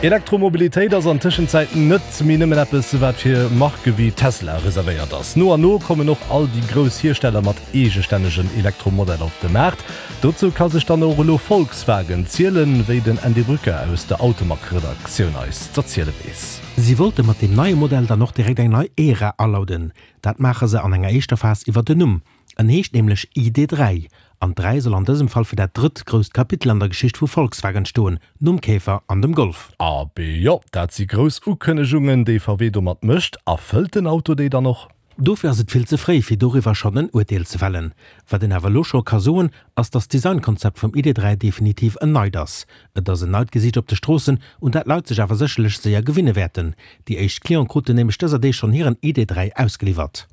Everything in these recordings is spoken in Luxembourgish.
Elektromobilitéit ass an Tëschenzäit net méi nëmmen eppes, wat fir Marke wéi Tesla reservéiert ass. No an no kommen och all déi grouss Hiersteller mat eegestännegen Elektromodeller op de Maart. Dozou ka sech dann och elo Volkswagen zielen, wéi den Andy Brücker aus der Automag-Redaktioun eis z'erziele weess. Si wollte mat deem neie Modell dann och direkt eng nei Ära alauden. Dat maache se an enger éischter Phas iwwer den Numm. En heescht nämlech ID. 3, an d'Dräi soll an dësem Fall fir dat drëtt grousst Kapitel an der Geschicht vu Volkswagen stoen, nom Käfer an dem Golf. Abee jo, dat si grouss Ukënnegungen, déi VW domat mécht. Erfëllt den Auto déi dann och? Dofir ass et vill ze fréi, fir doriwwer schonn en Urteel ze fällen. Wat een awer elo scho ka soen, ass datt d'Designkonzept vum ID. 3 definitiv en neit ass. Et ass en neit Gesiicht op de Stroossen, un dat d'Leit sech awer sécherlech séier gewinne wäerten. Déi éischt Cliente kruten nämlech dëser Deeg schonn hiren ID. 3 ausgeliwwert.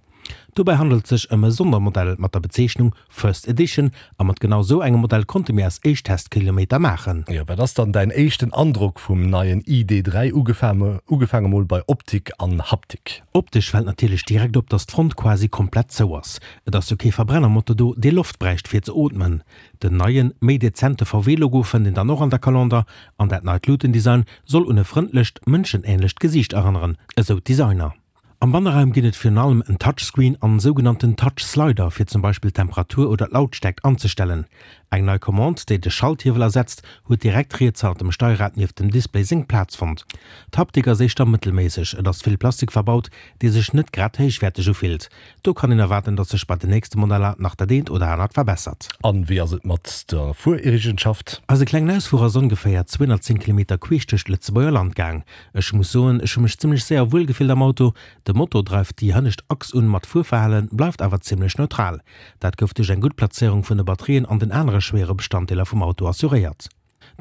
Dobäi handelt et sech ëm e Sondermodell mat der Bezeechnung First Edition a mat genau sou engem Modell konnte mir eis éischt Testkilometer maachen. Jo, wat ass dann däin éischten Androck vum neien ID. 3, ugefaange mol bei Optik an Haptik? Optesch fält natierlech direkt op, dass d'Front quasi komplett zou ass. Et ass jo kee Verbrennermotor do, dee Loft bräicht fir ze ootmen. Den neien, méi dezente VW-Logo fënnt een dann och an der Calendar an dat neit Luutendesign soll un e frëndlecht, mënschenähnlecht Gesiicht erënneren, esou d'Designer. Am Banneraum ginn et virun allem en Touchscreen an sougenannten Touch-Slider fir zum Beispill d'Temperatur oder d'Lautstärkt anzestellen. Eng nei Commande, déi de Schalthiewel ersetzt, huet direkt riets hannert dem Steierrad nieft dem Display seng Plaz fonnt. D'Haptik ass éischter mëttelméisseg, et ass vill Plastik verbaut, dee sech net grad héichwäerteg ufillt. Do kann een erwaarden, datt sech bei den nächste Modeller nach dat eent oder anert verbessert. An wéi ass et mat der Fuereegenschaft? Eise klengen Ausfuer ass ongeféier 210 Kilometer queesch duerch d'Lëtzebuerger Land gaang. Ech muss soen, ech hu mech zimmlech séier wuel gefillt am Auto. De Motor dreift déi hënnescht Achs un, ma d'Fuerverhale bleift awer zimmlech neutral. Dat gouf duerch eng gutt Plazéierung vun de Batterien an den anere schwéiere Bestanddeeler vum Auto assuréiert.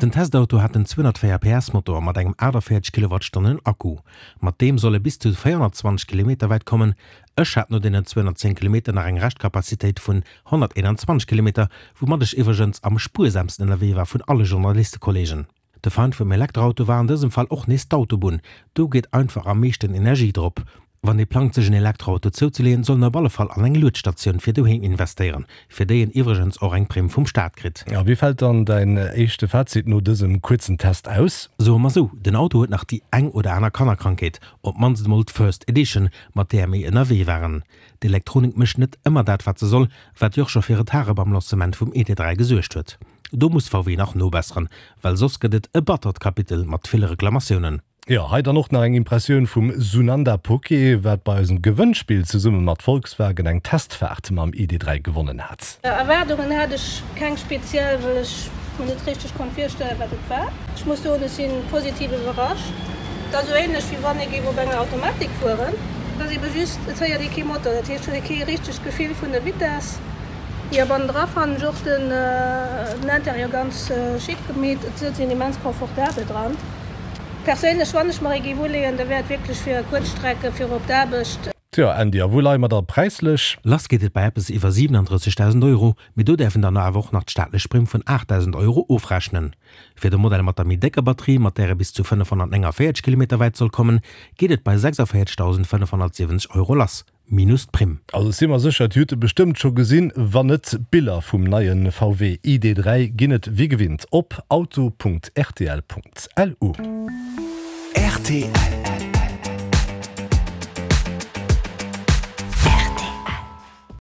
Den Testauto hat en 204 PS Motor mat engem 48 Kilowattstonnen Akku. Mat deem soll e bis zu 420 Kilometer wäit kommen. Ech hat no deenen 210 Kilometer nach eng Reschtkapazitéit vun 121 Kilometer, woumat ech iwwregens am spuersamsten ënnerwee war vun alle Journalistekollegen. De Feind vum Elektroauto war an dësem Fall och nees d'Autobunn. Do geet einfach am meeschten Energie drop. Wann ee plangt sech en Elektroauto zouzeleeën, soll en op alle Fall an eng Luedstatioun fir doheem investéieren, fir déi en iwwregens och eng Primm vum Staat kritt. A wéi fält dann däin éischte Fazit no dësem kuerzen Test aus? Soe mer sou, den Auto huet nach déi eng oder aner Kannerkrankheet, op d'mannst emol d'First Edition, mat där mir ënnerwee waren. D'Elektronik mécht net ëmmer dat wat se soll, wat jo och scho fir Retarde beim Lancement vum ID. 3 gesuergt huet. Do muss VW nach nobesseren, well soss gëtt et e battert Kapitel mat ville Reklamatiounen. Jo, hei dann och nach eng Impressioun vum Sunanda Poké, wat bei eisem Gewënnspill zesumme mat Volkswagen eng Testfaart mam ID. 3 gewonnen hat. Erwaardungen hat ech keng speziell, well ech mer net richteg konnt virstellen, wat et war. Ech muss soen, ech si positiv iwwerrascht. Et ass esou ähnlech, wéi wann ee géif op enger Automatik fueren. Et ass ebe just, et héiert ee kee Motor, dat heescht, et huet ee kee richtegt Gefill vun der Vitess. Jo, bannendra fannen ech och den Intérieur ganz chic gemeet. Et sëtzt een immens confortabel dran. Perséinlech, wann ech mer ee géif uleeën, da wär et wierklech fir Kuerzstrecke fir op d'Aarbecht. Tjo, Andy, a wou leie mer da präislech? Lass geet et bei eppes iwwer 37.000 Euro, mee do däerf een dann awer och nach d'staatlech Primm vun 8.000 Euro ofrechnen. Fir de Modell mat der méi décker Batterie, mat där e bis zu 549 Kilometer wäit soll kommen, geet et bei 46.570 Euro lass. Minus d'Primm. Also ech si mer sécher, Dir hutt e bestëmmt scho gesinn. Wann net, d'Biller vum neie VW ID. 3 ginn et wéi gewinnt op auto.rtl.lu. Rtl.